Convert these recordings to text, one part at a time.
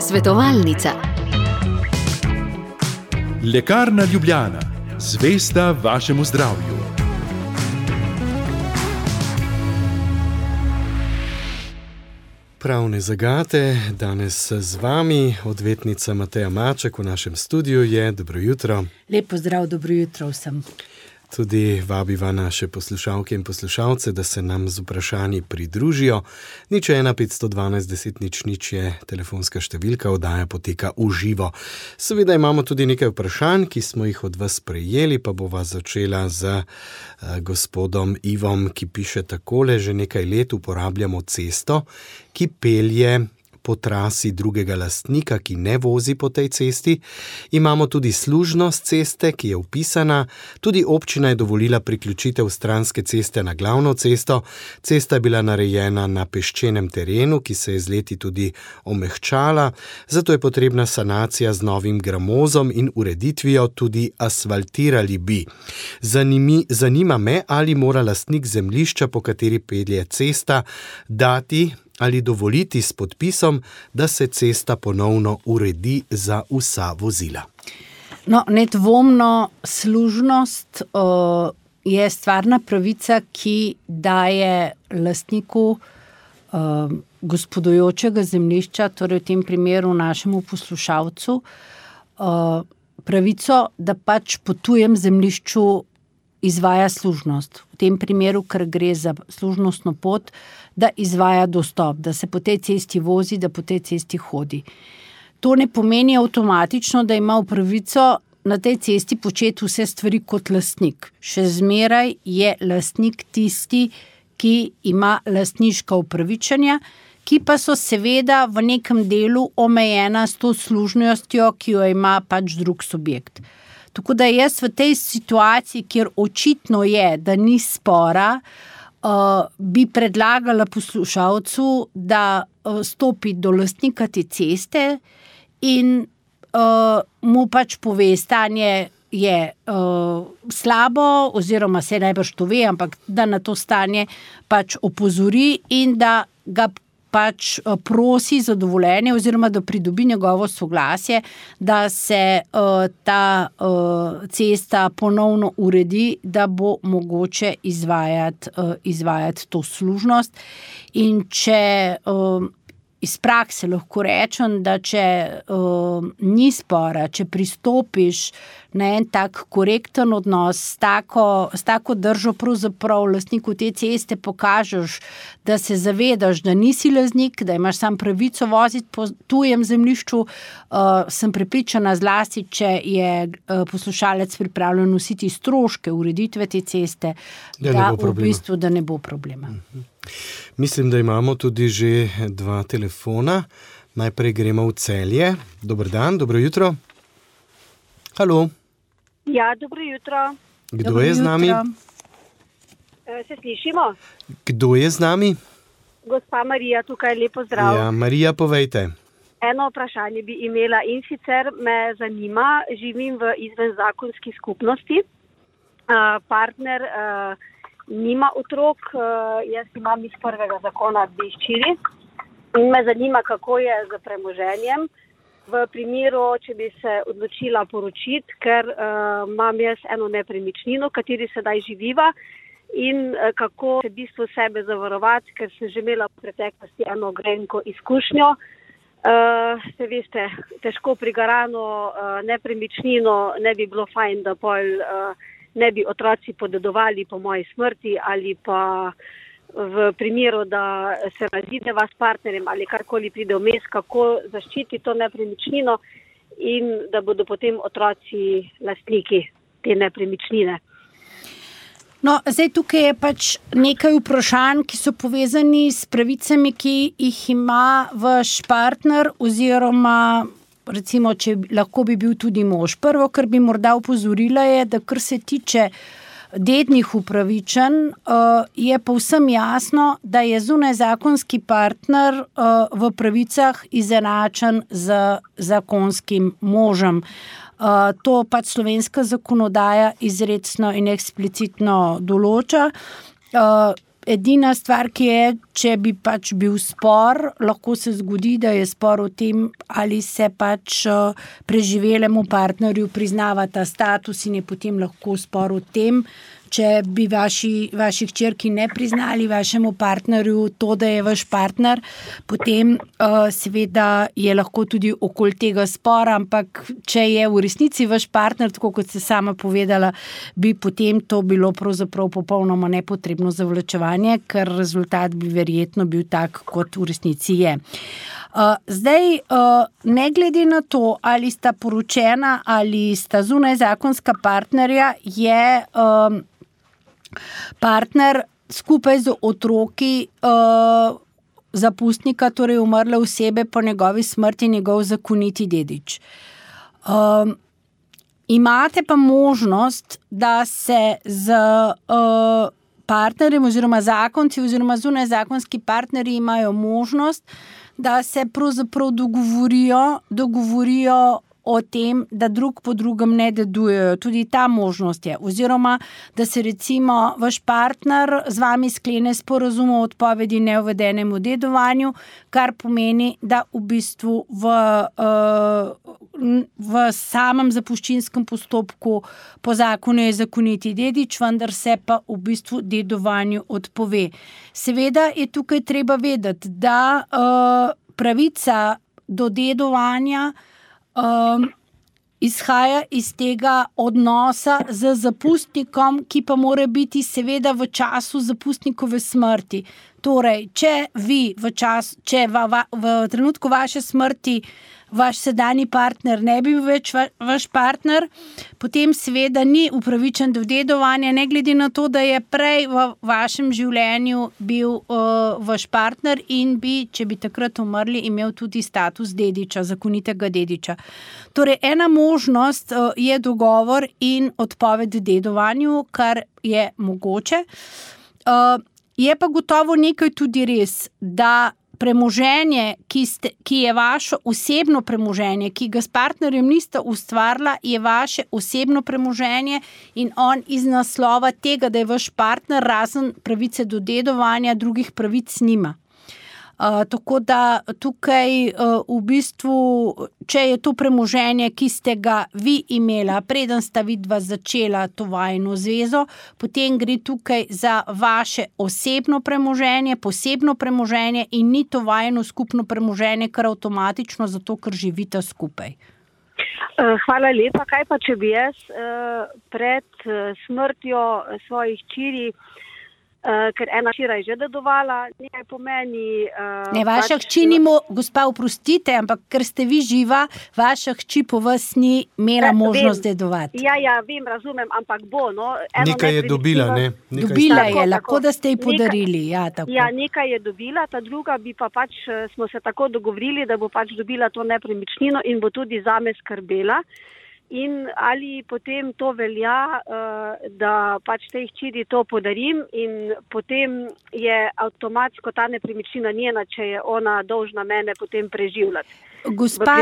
Svetovalnica. Lekarna Ljubljana. Zvesta vašemu zdravju. Pravne zagate, danes z vami odvetnica Mateja Maček v našem studiu je. Dobro jutro. Lep pozdrav, dobro jutro vsem. Tudi vabiva naše poslušalke in poslušalce, da se nam z vprašanji pridružijo. 01 512 10 00 je telefonska številka, oddaja poteka v živo. Seveda imamo tudi nekaj vprašanj, ki smo jih od vas prejeli, pa bova začela z gospodom Ivom, ki piše takole: že nekaj let uporabljamo cesto, ki pelje po trasi drugega lastnika, ki ne vozi po tej cesti. Imamo tudi služnost ceste, ki je vpisana. Tudi občina je dovolila priključitev stranske ceste na glavno cesto. Cesta je bila narejena na peščenem terenu, ki se je z leti tudi omehčala. Zato je potrebna sanacija z novim gramozom in ureditvijo, tudi asfaltirali bi. Zanima me, ali mora lastnik zemljišča, po kateri pelje cesta, dati ali dovoliti s podpisom, da se cesta ponovno uredi za vsa vozila. No, nedvomno služnost je stvarna pravica, ki daje lastniku gospodujočega zemljišča, torej v tem primeru našemu poslušalcu, pravico, da pač po tujem zemljišču izvaja služnost. V tem primeru, ker gre za služnostno pot, da izvaja dostop, da se po tej cesti vozi, da po tej cesti hodi. To ne pomeni avtomatično, da ima pravico na tej cesti početi vse stvari kot lastnik. Še zmeraj je lastnik tisti, ki ima lastniška upravičenja, ki pa so seveda v nekem delu omejena s to služnostjo, ki jo ima pač drug subjekt. Tako da jaz v tej situaciji, kjer očitno je, da ni spora, bi predlagala poslušalcu, da stopi do lastnika te ceste in mu pač pove, stanje je slabo, oziroma se najbrž to ve, ampak da na to stanje pač opozori in da ga pač prosi za dovoljenje oziroma da pridobi njegovo soglasje, da se ta cesta ponovno uredi, da bo mogoče izvajati to služnost. In če iz prakse lahko rečem, da če ni spora, če pristopiš na en tak korekten odnos, s tako držo pravzaprav lastniku te ceste pokažeš, da se zavedaš, da nisi lastnik, da imaš sam pravico voziti po tujem zemljišču, sem prepričana zlasti, če je poslušalec pripravljen nositi stroške ureditve te ceste, da v bistvu da ne bo problema. Mislim, da imamo tudi že 2 telefona. Najprej gremo v Celje. Dober dan, dobro jutro. Halo. Ja, dobro jutro. Kdo je z nami? Se slišimo? Kdo je z nami? Gospa Marija, tukaj lepo zdrav. Ja, Marija, povejte. Eno vprašanje bi imela in sicer me zanima, živim v izvenzakonski skupnosti. Partner nima otrok, jaz imam iz prvega zakona 2 hčeri in me zanima, kako je z premoženjem v primeru, če bi se odločila poročiti, ker imam jaz eno nepremičnino, v kateri sedaj živiva, in kako se v bistvu sebe zavarovati, ker sem že imela v preteklosti eno grenko izkušnjo. Se veste, težko prigarano nepremičnino ne bi bilo fajn, da pol ne bi otroci podedovali po moji smrti ali pa v primeru, da se razideva s partnerjem ali karkoli pride vmes, kako zaščiti to nepremičnino in da bodo potem otroci lastniki te nepremičnine. No, zdaj tukaj je pač nekaj vprašanj, ki so povezani s pravicami, ki jih ima vaš partner oziroma recimo, če lahko bi bil tudi mož. Prvo, kar bi morda opozorila je, da kar se tiče dednih upravičenj, je povsem jasno, da je zunajzakonski partner v pravicah izenačen z zakonskim možem. To pač slovenska zakonodaja izrecno in eksplicitno določa. edina stvar, ki je, če bi pač bil spor, lahko se zgodi, da je spor o tem, ali se pač preživelemu partnerju priznava ta status in je potem lahko spor o tem, če bi vaši hčerki ne priznali vašemu partnerju to, da je vaš partner, potem seveda je lahko tudi okoli tega spora, ampak če je v resnici vaš partner, tako kot ste sama povedala, bi potem to bilo pravzaprav popolnoma nepotrebno zavlačevanje, ker rezultat bi verjetno bil tak, kot v resnici je. Zdaj, ne glede na to, ali sta poročena ali sta zunaj zakonska partnerja, je partner skupaj z otroki zapustnika, torej umrle osebe, po njegovi smrti njegov zakoniti dedič. Imate pa možnost, da se z partnerjem oziroma zakonci oziroma zunaj zakonski partnerji imajo možnost, da se pravzaprav dogovorijo o tem, da drug po drugem ne dedujejo. Tudi ta možnost je. Oziroma, da se recimo vaš partner z vami sklene sporazum o odpovedi neuvedenemu dedovanju, kar pomeni, da v bistvu v samem zapuščinskem postopku po zakonu je zakoniti dedič, vendar se pa v bistvu dedovanju odpove. Seveda je tukaj treba vedeti, da pravica do dedovanja izhaja iz tega odnosa z zapustnikom, ki pa mora biti seveda v času zapustnikove smrti. Torej, če v trenutku vaše smrti vaš sedanji partner ne bi bil več vaš partner, potem seveda ni upravičen do dedovanja, ne glede na to, da je prej v vašem življenju bil vaš partner in bi, če bi takrat umrli, imel tudi status dediča, zakonitega dediča. Torej, ena možnost je dogovor in odpoved dedovanju, kar je mogoče. Je pa gotovo nekaj tudi res, da premoženje, ki je vaše osebno premoženje, ki ga s partnerjem niste ustvarila, je vaše osebno premoženje in on iz naslova tega, da je vaš partner, razen pravice do dedovanja, drugih pravic nima. Tako da tukaj v bistvu, če je to premoženje, ki ste ga vi imela, preden sta vidva začela to vajino zvezo, potem gre tukaj za vaše osebno premoženje, posebno premoženje in ni to vajino skupno premoženje, kar avtomatično zato, ker živita skupaj. Hvala lepa. Kaj pa, če bi jaz pred smrtjo svojih hčeri, ker ena hčera je že dedovala, nekaj pomeni... Ne, vaša hči ni, gospa, oprostite, ampak ker ste vi živa, vaša hči po vas ni imela možnost dedovati. Ja, vem, razumem, ampak bo, no. Nekaj je dobila, ne? Dobila je, lahko da ste ji podarili, ja, tako. Ja, nekaj je dobila, ta druga bi pa pač, smo se tako dogovorili, da bo pač dobila to nepremičnino in bo tudi zame skrbela. In ali potem to velja, da pač tej hčeri to podarim in potem je avtomatsko ta nepremičnina njena, če je ona dolžna mene potem preživljati. Gospa,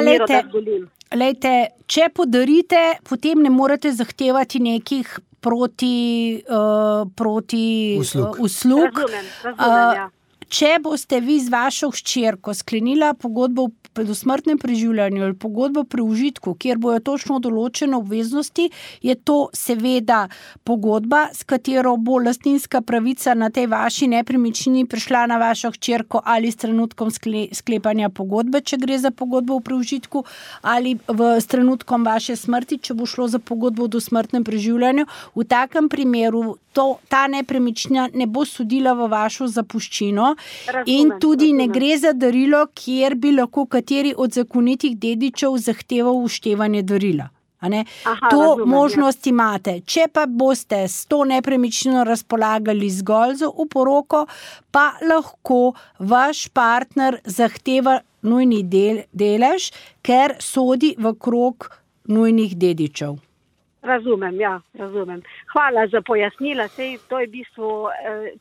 lejte, če podarite, potem ne morete zahtevati nekih proti uslug. Razumem, ja. Če boste vi z vašo hčerko sklenila pogodbo o dosmrtnem preživljanju ali pogodbo pri užitku, kjer bojo točno določene obveznosti, je to seveda pogodba, s katero bo lastninska pravica na tej vaši nepremičnini prišla na vašo hčerko ali s trenutkom sklepanja pogodbe, če gre za pogodbo pri užitku, ali s trenutkom vaše smrti, če bo šlo za pogodbo o dosmrtnem preživljanju. V takem primeru ta nepremičnina ne bo sodila v vašo zapuščino. In tudi ne gre za darilo, kjer bi lahko kateri od zakonitih dedičev zahteval uštevanje darila. Možnost imate. Če pa boste s to nepremičnino razpolagali zgolj za oporoko, pa lahko vaš partner zahteva nujni delež, ker sodi v krog nujnih dedičev. Razumem. Hvala za pojasnila. Sej, to je v bistvu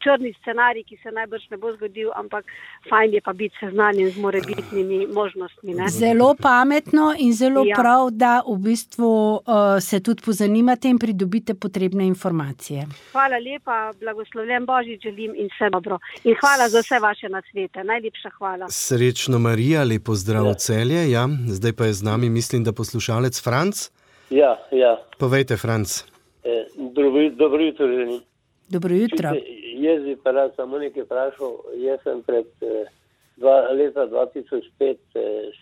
črni scenarij, ki se najbrž ne bo zgodil, ampak fajn je pa biti seznanjen z morebitnimi možnostmi. Ne? Zelo pametno in zelo prav, da v bistvu se tudi pozanimate in pridobite potrebne informacije. Hvala lepa, blagoslovljen Božič želim in vse dobro. In hvala za vse vaše nasvete. Najlepša hvala. Srečno Marija, lepo zdrav v Celje. Ja, zdaj pa je z nami, mislim, da poslušalec Franc. Ja. Povejte, Franc. Dobro jutro želim. Dobro jutro. Jaz bi pa rad samo nekaj vprašal. Jaz sem pred leta 2005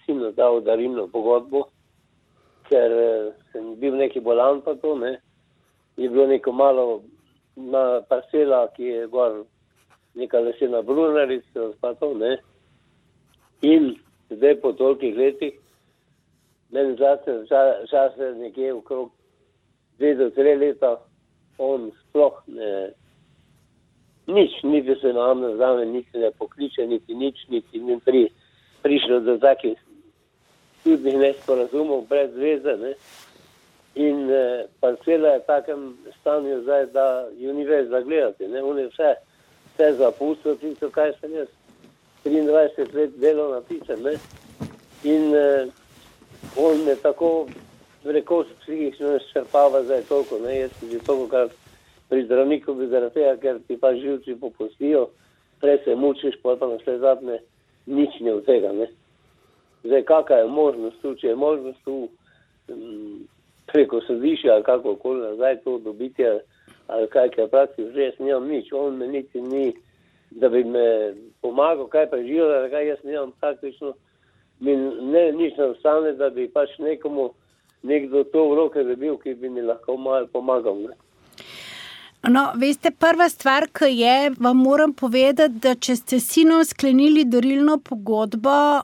sinu dal darilno pogodbo, ker sem bil neki bolan pa to, ne. Je bilo neko malo parcela, ki je gor neka lesena brunarica pa to, ne. In zdaj po tolikih letih meni zase nekje okrog 2 do 3 leta on sploh niti se nam ne zame, niti ne pokliče, niti nič, niti ni prišlo do takih čudnih nesporazumov brez veze, ne. In parcela je v takem stanju zdaj, da jo ni več zagledati, ne. On je vse zapustil, tisto, kaj sem jaz 23 let delal napisal, ne. In on me tako rekoč psihično izčrpava zdaj toliko, ne, jaz sem že toliko krat pri zdravniku bi zaradi tega, ker ti pa živci popustijo, prej se mučiš, pa naslednje zadnje nič ne od tega, ne. Zdaj, kakva je možnost tu, če je možnost tu preko sodišča ali kakokoli nazaj to dobiti, ali kaj je praksi, že jaz nimam nič, on me niti ni, da bi me pomagal, kaj preživljal, kaj jaz nimam praktično, nič ne ostane, da bi pač nekdo to v roke dobil, ki bi mi lahko malo pomagal. Ne? No, veste, prva stvar, ki je, vam moram povedati, da če ste sinom sklenili darilno pogodbo,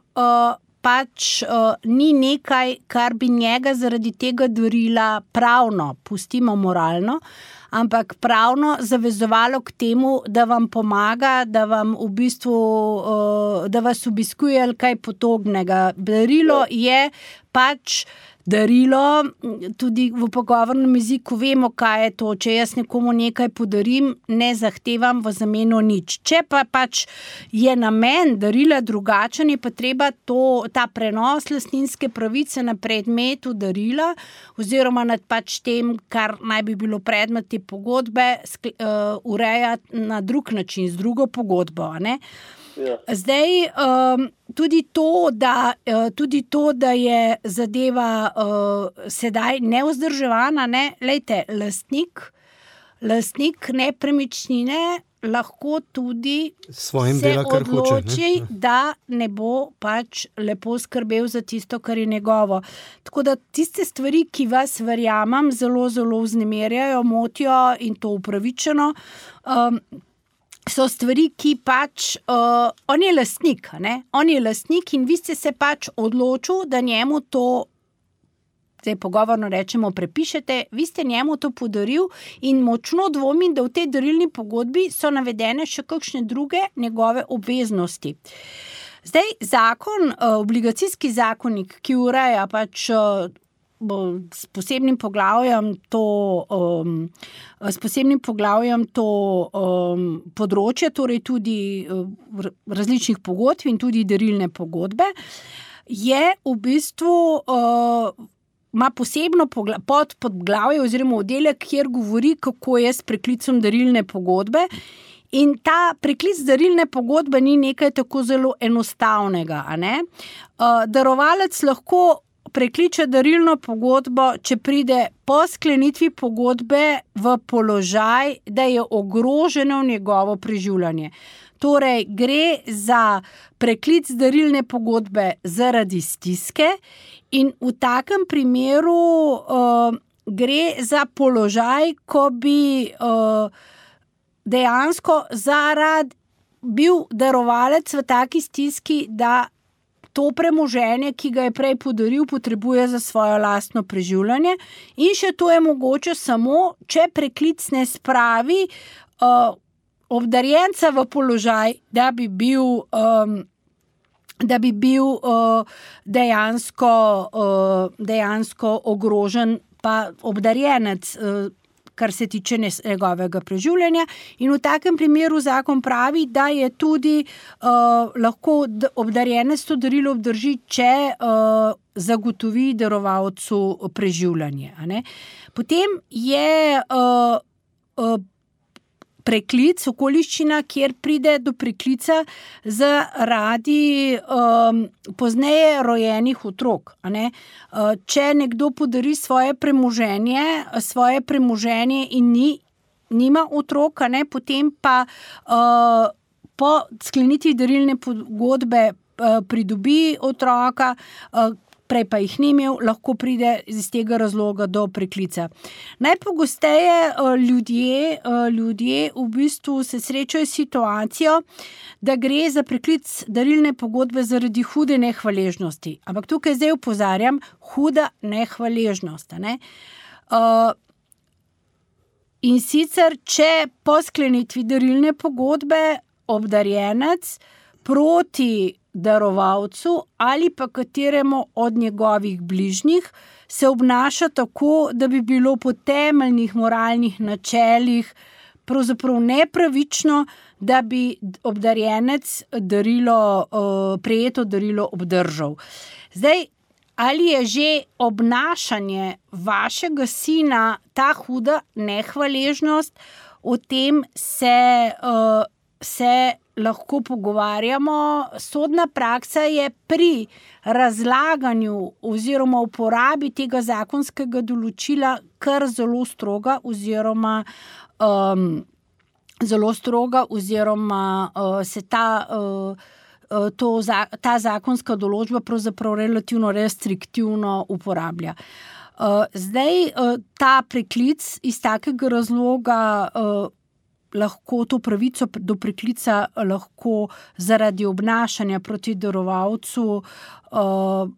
ni nekaj, kar bi njega zaradi tega darila pravno, pustimo moralno, ampak pravno zavezovalo k temu, da vam pomaga, da vam v bistvu, da vas obiskuje ali kaj podobnega. Darilo je pač darilo, tudi v pogovornem jeziku vemo, kaj je to. Če jaz nekomu nekaj podarim, ne zahtevam v zameno nič. Če pa pač je namen darila drugačen, je pa treba ta prenos lastninske pravice na predmetu darila oziroma nad pač tem, kar naj bi bilo predmet te pogodbe, urejati na drug način, z drugo pogodbo, ne? Ja. Zdaj, tudi to, da je zadeva sedaj nevzdrževana, ne, lejte, lastnik nepremičnine lahko tudi se odloči, da ne bo pač lepo skrbel za tisto, kar je njegovo. Tako da tiste stvari, ki vas verjamem, zelo, zelo vznemirjajo, motijo in to upravičeno, so stvari, ki pač, on je lastnik, ne? On je lastnik in vi ste se pač odločil, da njemu to, zdaj pogovorno rečemo, prepišete, vi ste njemu to podaril in močno dvomim, da v tej darilni pogodbi so navedene še kakšne druge njegove obveznosti. Zdaj, obligacijski zakonik, ki ureja pač s posebnim poglavjem to področje, torej tudi različnih pogodb in tudi darilne pogodbe, je v bistvu ima posebno podpoglavje oziroma oddelek, kjer govori, kako je s preklicom darilne pogodbe. In ta preklic darilne pogodbe ni nekaj tako zelo enostavnega, a ne? Darovalec lahko prekliče darilno pogodbo, če pride po sklenitvi pogodbe v položaj, da je ogroženo njegovo preživljanje. Torej, gre za preklic darilne pogodbe zaradi stiske in v takem primeru gre za položaj, ko bi dejansko bil darovalec v taki stiski, da to premoženje, ki ga je prej podaril, potrebuje za svojo lastno preživljanje in še to je mogoče samo, če preklic ne spravi obdarjenca v položaj, da bi bil dejansko ogrožen pa obdarjenec, kar se tiče njegovega preživljanja. In v takem primeru zakon pravi, da je tudi lahko obdarjenec to darilo obdrži, če zagotovi darovalcu preživljanje. A ne? Potem je preklic, okoliščina, kjer pride do preklica zaradi pozneje rojenih otrok. A ne? Če nekdo podari svoje premoženje in nima otrok, a ne? Potem pa po sklenitvi darilne pogodbe pridobi otroka, prej pa jih ni imel, lahko pride iz tega razloga do preklica. Najpogosteje ljudje v bistvu se srečajo s situacijo, da gre za preklic darilne pogodbe zaradi hude nehvaležnosti. Ampak tukaj zdaj opozarjam, huda nehvaležnost. Ne? In sicer, če po sklenitvi darilne pogodbe obdarjenec proti darovalcu ali pa kateremu od njegovih bližnjih se obnaša tako, da bi bilo po temeljnih moralnih načelih pravzaprav nepravično, da bi obdarjenec prejeto darilo obdržal. Zdaj, ali je že obnašanje vašega sina ta huda nehvaležnost, o tem se lahko pogovarjamo. Sodna praksa je pri razlaganju oziroma uporabi tega zakonskega določila kar zelo stroga oziroma se ta zakonska določba pravzaprav relativno restriktivno uporablja. Zdaj, ta preklic iz takega razloga lahko to pravico do preklica lahko zaradi obnašanja proti darovalcu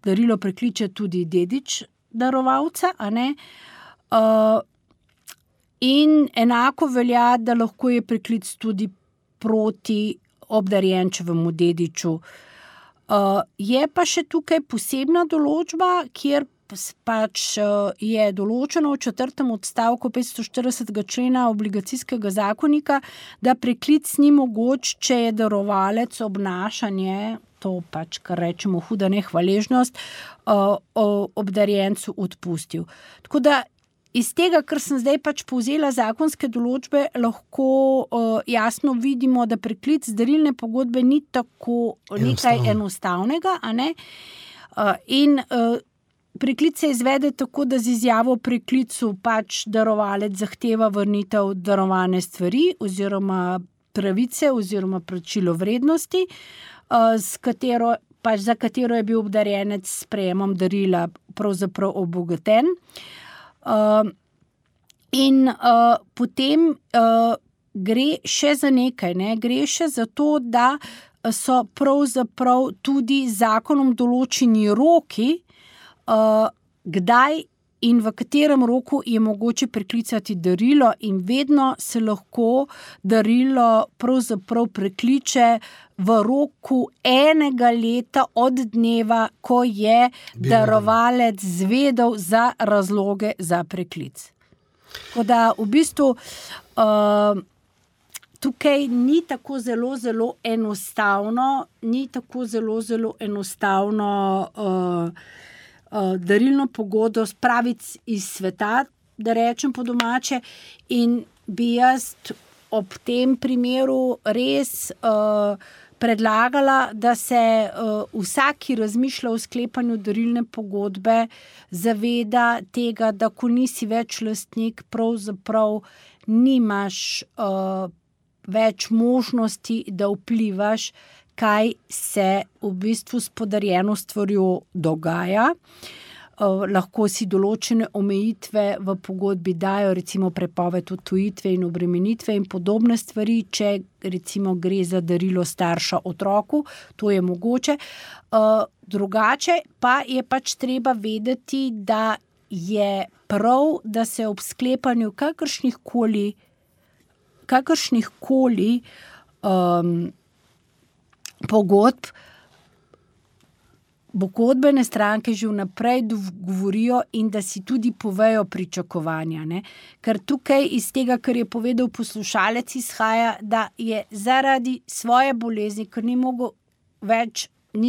darilo prekliče tudi dedič darovalca, a ne? In enako velja, da lahko je preklic tudi proti obdarjenčevemu dediču. Je pa še tukaj posebna določba, kjer pač je določeno v 4. odstavku 540. člena obligacijskega zakonika, da preklic ni mogoč, če je darovalec obnašanje, to pač, kar rečemo huda nehvaležnost, obdarjencu odpustil. Tako da iz tega, kar sem zdaj pač povzela zakonske določbe, lahko jasno vidimo, da preklic darilne pogodbe ni tako nekaj enostavnega, a ne? In preklic se izvede tako, da z izjavo o preklicu pač darovalec zahteva vrnitev darovane stvari oziroma pravice oziroma plačilo vrednosti, za katero je bil obdarjenec s sprejemom darila pravzaprav obogaten. In potem gre še za nekaj, ne? Gre še za to, da so pravzaprav tudi zakonom določeni roki, kdaj in v katerem roku je mogoče preklicati darilo, in vedno se lahko darilo pravzaprav prekliče v roku 1 leta od dneva, ko je darovalec zvedel za razloge za preklic. Tako da v bistvu tukaj ni tako zelo enostavno darilno pogodbo spraviti iz sveta, da rečem po domače, in bi jaz ob tem primeru res predlagala, da se vsak, ki razmišlja o sklepanju darilne pogodbe, zaveda tega, da ko nisi več lastnik, pravzaprav nimaš več možnosti, da vplivaš, kaj se v bistvu s podarjeno stvarjo dogaja. Lahko si določene omejitve v pogodbi dajo, recimo prepoved odtujitve in obremenitve in podobne stvari, če recimo gre za darilo starša otroku, to je mogoče. Drugače pa je pač treba vedeti, da je prav, da se ob sklepanju kakršnihkoli pogodb pogodbene stranke že vnaprej govorijo in da si tudi povejo pričakovanja. Ne? Ker tukaj iz tega, kar je povedal poslušalec, izhaja, da je zaradi svoje bolezni, ker ni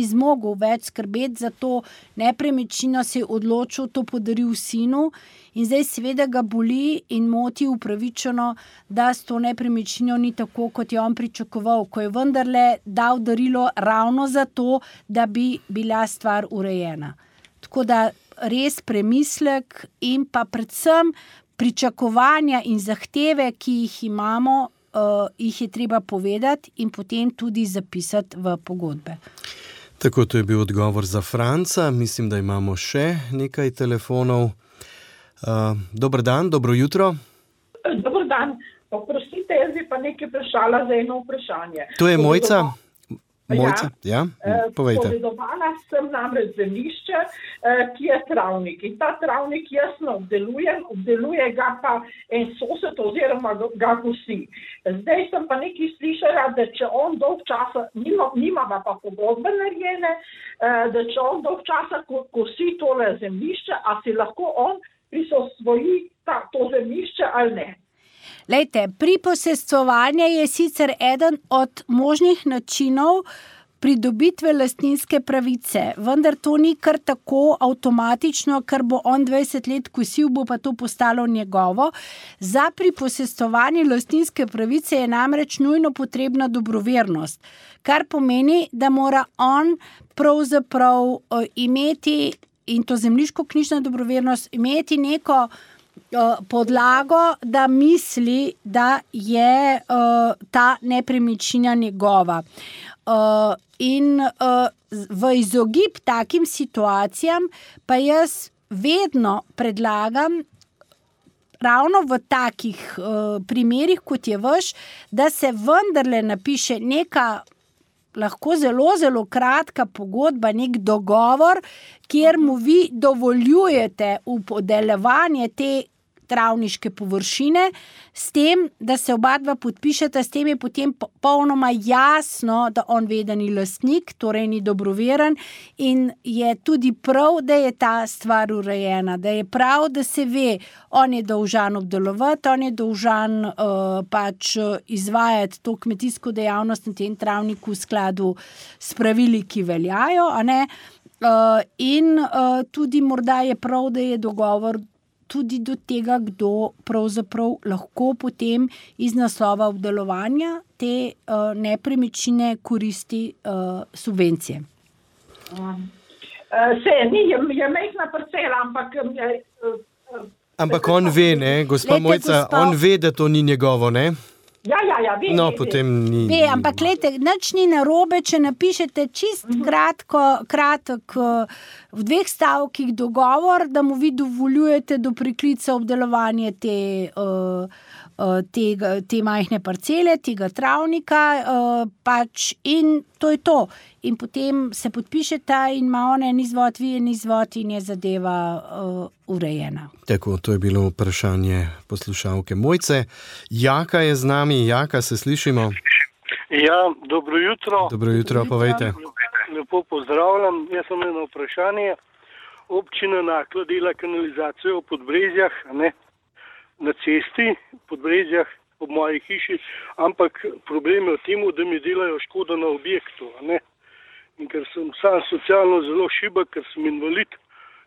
zmogel več skrbeti za to nepremičnino, se je odločil, to podaril sinu in zdaj seveda ga boli in moti upravičeno, da s to nepremičnino ni tako, kot je on pričakoval, ko je vendarle dal darilo ravno za to, da bi bila stvar urejena. Tako da res premislek in pa predvsem pričakovanja in zahteve, ki jih imamo, jih je treba povedati in potem tudi zapisati v pogodbe. Tako, to je bil odgovor za Franca. Mislim, da imamo še nekaj telefonov. Dober dan, dobro jutro. Dobar dan. Oprostite, jaz bi pa nekaj vprašala za eno vprašanje. To je Mojca. Mojca, ja, povejte. Povedovala sem namreč zemljišče, ki je travnik. In ta travnik jasno obdeluje ga pa en sosed oziroma ga kosi. Zdaj sem pa nekaj slišala, da če on dolg časa, nima pa pogodbe narejene, da če on dolg časa kosi tole zemljišče, a si lahko on prisvoji to zemljišče ali ne? Lejte, priposestvovanje je sicer eden od možnih načinov pridobitve lastninske pravice, vendar to ni kar tako avtomatično, ker bo on 20 let kosil, bo pa to postalo njegovo. Za priposestvovanje lastninske pravice je namreč nujno potrebna dobrovernost, kar pomeni, da mora on pravzaprav imeti, in to zemljiško-knjižna dobrovernost, imeti neko podlago, da misli, da je ta nepremičnina njegova. In v izogib takim situacijam pa jaz vedno predlagam, ravno v takih primerih, kot je vaš, da se vendarle napiše neka lahko zelo, zelo kratka pogodba, nek dogovor, kjer mu vi dovoljujete podeljevanje te travniške površine, s tem, da se oba dva podpišeta, s tem je potem popolnoma jasno, da on ve, da ni lastnik, torej ni dobroveren in je tudi prav, da je ta stvar urejena, da je prav, da se ve, on je dolžan obdelovati, on je dolžan pač izvajati to kmetijsko dejavnost na tem travniku v skladu s pravili, ki veljajo, a ne? In tudi morda je prav, da je dogovor tudi do tega, kdo pravzaprav lahko potem iz naslova obdelovanja te nepremičnine koristi subvencije. Je majhna parcela, ampak... Ampak on ve, ne, gospa Mojca, on ve, da to ni njegovo, ne? Ja, ve. No, potem ni... Ve, ampak glejte, nič ni narobe, če napišete čist kratek v 2 stavkih dogovor, da mu vi dovoljujete do priklica obdelovanje te majhne parcele, tega travnika, pač in to je to. In potem se podpišeta in ima on en izvod, vi en izvod in je zadeva urejena. Tako, to je bilo vprašanje poslušalke Mojce. Jaka je z nami. Jaka, se slišimo? Ja, dobro jutro. Dobro jutro, povejte. Lepo pozdravljam. Jaz sem eno vprašanje. Občina Naklo dela kanalizacijo v Podbrezjah, ne? Na cesti v Podbrezjah ob moji hiši, ampak problem je v tem, da mi delajo škodo na objektu, ne? In ker sem sam socialno zelo šibek, ker sem invalid,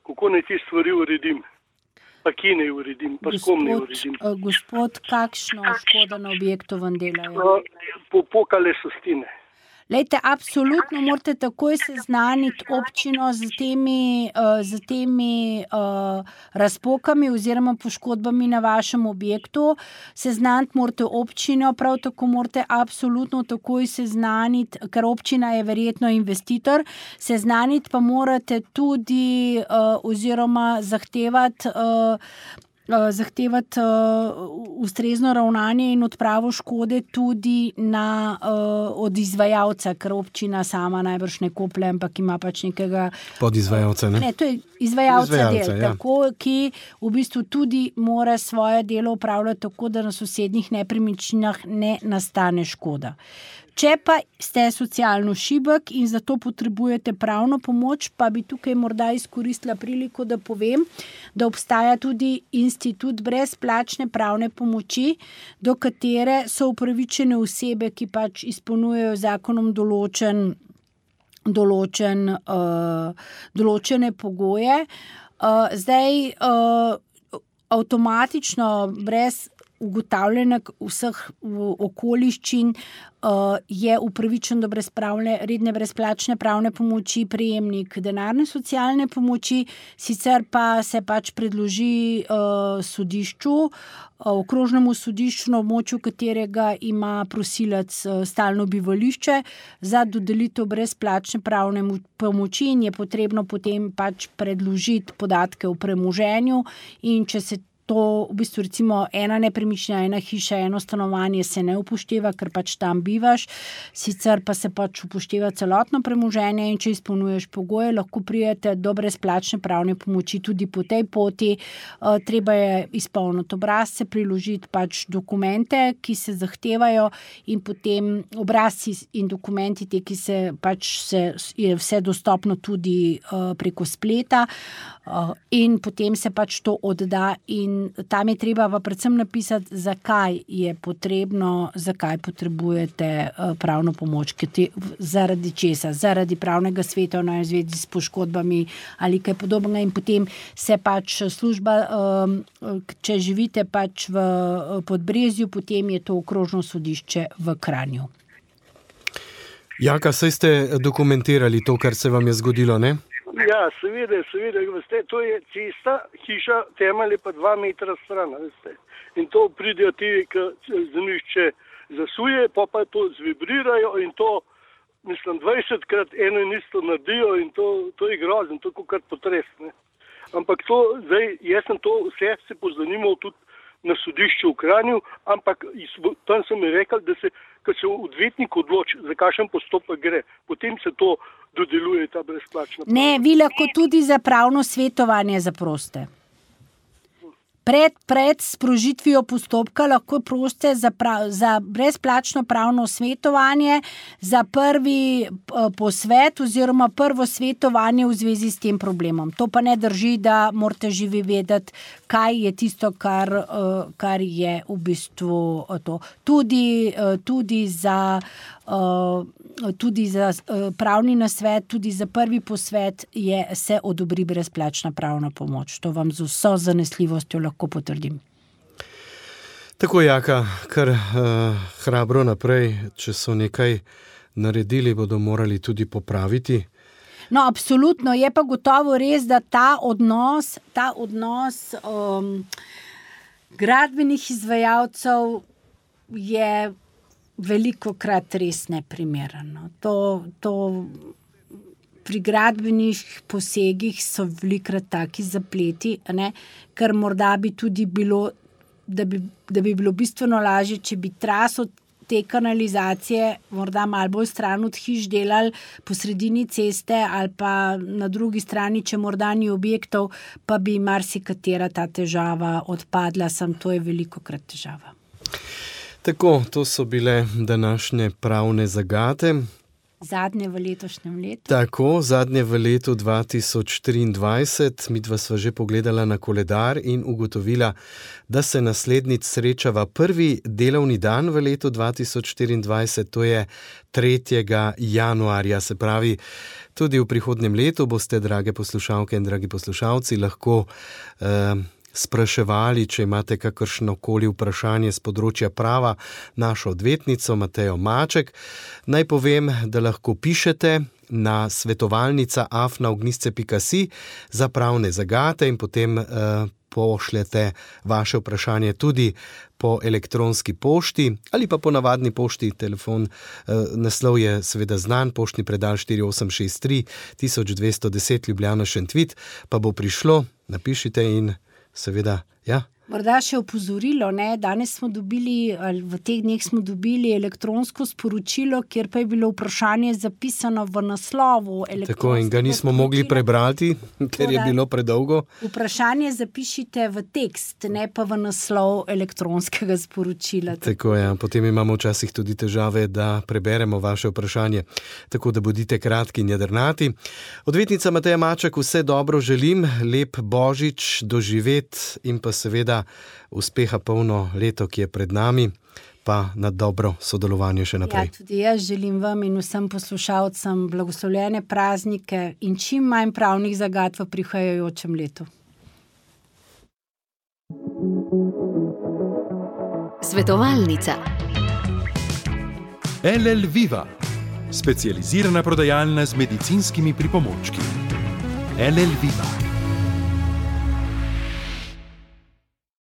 kako naj te stvari uredim? Pa kje naj uredim? Pa s kom naj uredim? Gospod, kakšno škodo na objektu vam delajo? Popokale so stene. Lejte, absolutno morate takoj seznaniti občino z temi razpokami oziroma poškodbami na vašem objektu. Seznaniti morate občino, prav tako morate absolutno takoj seznaniti, ker občina je verjetno investitor, seznaniti pa morate tudi oziroma zahtevati ustrezno ravnanje in odpravo škode tudi od izvajalca, ker občina sama najbrž ne koplje, ampak ima pač nekega podizvajalca, ne? Ne, to je izvajalca del, ja. tako, ki v bistvu tudi mora svoje delo upravljati tako, da na sosednjih nepremičninah ne nastane škoda. Če pa ste socialno šibek in zato potrebujete pravno pomoč, pa bi tukaj morda izkoristila priliko, da povem, da obstaja tudi institut brezplačne pravne pomoči, do katere so upravičene osebe, ki pač izpolnjujejo zakonom določene pogoje. Zdaj, avtomatično, brez ugotavljanja vseh okoliščin, je upravičen do redne brezplačne pravne pomoči prejemnik denarne socialne pomoči, sicer pa se pač predloži sodišču, okrožnemu sodišču, na območju katerega ima prosilec stalno bivališče, za dodelitev brezplačne pravne pomoči in je potrebno potem pač predložiti podatke o premoženju, in če se to, v bistvu recimo ena nepremičnina, ena hiša, eno stanovanje se ne upošteva, ker pač tam bivaš, sicer pa se pač upošteva celotno premoženje, in če izpolnjuješ pogoje, lahko pridete do brezplačne pravne pomoči tudi po tej poti. Treba je izpolniti obrazce, priložiti pač dokumente, ki se zahtevajo, in potem obrazci in dokumenti, te, ki se pač je vse dostopno tudi preko spleta, in potem se pač to odda, in tam je treba pa predvsem napisati, zakaj je potrebno, zakaj potrebujete pravno pomoč, zaradi česa, zaradi pravnega sveta v zvezi s poškodbami ali kaj podobnega, in potem se pač služba, če živite pač v Podbrezju, potem je to okrožno sodišče v Kranju. Jaka, saj ste dokumentirali to, kar se vam je zgodilo, ne? Ja, seveda, veste, to je cesta, hiša, temelj je pa 2 metra stran, veste. In to pridejo ti, ki zemljišče zasuje, pa to zvibrirajo, in to, mislim, 20krat eno in isto naredijo, in to je grozno, to je kot potres, ne. Ampak to, zdaj, jaz sem to vse se pozanimal tudi na sodišču v Kranju, ampak tam sem mi rekel, da ko se odvetnik odloči, za kakšen postopek gre, potem se to dodeluje, ta brezplačna. Ne, vi lahko tudi za pravno svetovanje zaprosite. Pred sprožitvijo postopka lahko prosite za brezplačno pravno svetovanje, za prvi posvet oziroma prvo svetovanje v zvezi s tem problemom. To pa ne drži, da morate živi vedeti, kaj je tisto, kar je v bistvu to. Tudi za pravni nasvet, tudi za prvi posvet se odobri brezplačna pravna pomoč. To vam z vso zanesljivostjo lahko potrdim. Tako, Jaka, kar hrabro naprej, če so nekaj naredili, bodo morali tudi popraviti. No, absolutno, je pa gotovo res, da ta odnos gradbenih izvajalcev je velikokrat res neprimerno. To pri gradbenih posegih so velikokrat taki zapleti, ne? Ker morda bi tudi bilo, da bi bilo bistveno lažje, če bi traso te kanalizacije morda malo bolj stran od hiš delali po sredini ceste, ali pa na drugi strani, če morda ni objektov, pa bi marsikatera ta težava odpadla, to je velikokrat težava. Tako, to so bile današnje pravne zagate. Zadnje v letošnjem letu. Tako, zadnje v letu 2023. Midva sva že pogledala na koledar in ugotovila, da se naslednjič srečava prvi delovni dan v letu 2024, to je 3. januarja. Se pravi, tudi v prihodnjem letu boste, drage poslušalke in dragi poslušalci, lahko spraševali, če imate kakršnokoli vprašanje z področja prava, našo odvetnico Matejo Maček. Naj povem, da lahko pišete na svetovalnica@ognjisce.si za pravne zagate in potem pošljete vaše vprašanje tudi po elektronski pošti ali pa po navadni pošti. Telefon, naslov je seveda znan, poštni predal 4863 1210 Ljubljana Šentvid, pa bo prišlo, napišite in seveda, ja, Morda še opozorilo, ne? Danes smo dobili, v teh dneh smo dobili elektronsko sporočilo, kjer pa je bilo vprašanje zapisano v naslovu. Tako, in ga nismo mogli prebrati, ker je bilo predolgo. Vprašanje zapišite v tekst, ne pa v naslov elektronskega sporočila. Tako je, potem imamo včasih tudi težave, da preberemo vaše vprašanje. Tako da bodite kratki in jedrnati. Odvetnica Mateja Maček, vse dobro želim, lep Božič doživeti in pa seveda uspeha polno leto, ki je pred nami, pa na dobro sodelovanje še naprej. Ja, tudi jaz želim vam in vsem poslušalcem blagoslovljene praznike in čim manj pravnih zagad v prihajajočem letu. Svetovalnica. LL Viva, specializirana prodajalna z medicinskimi pripomočki. LL Viva.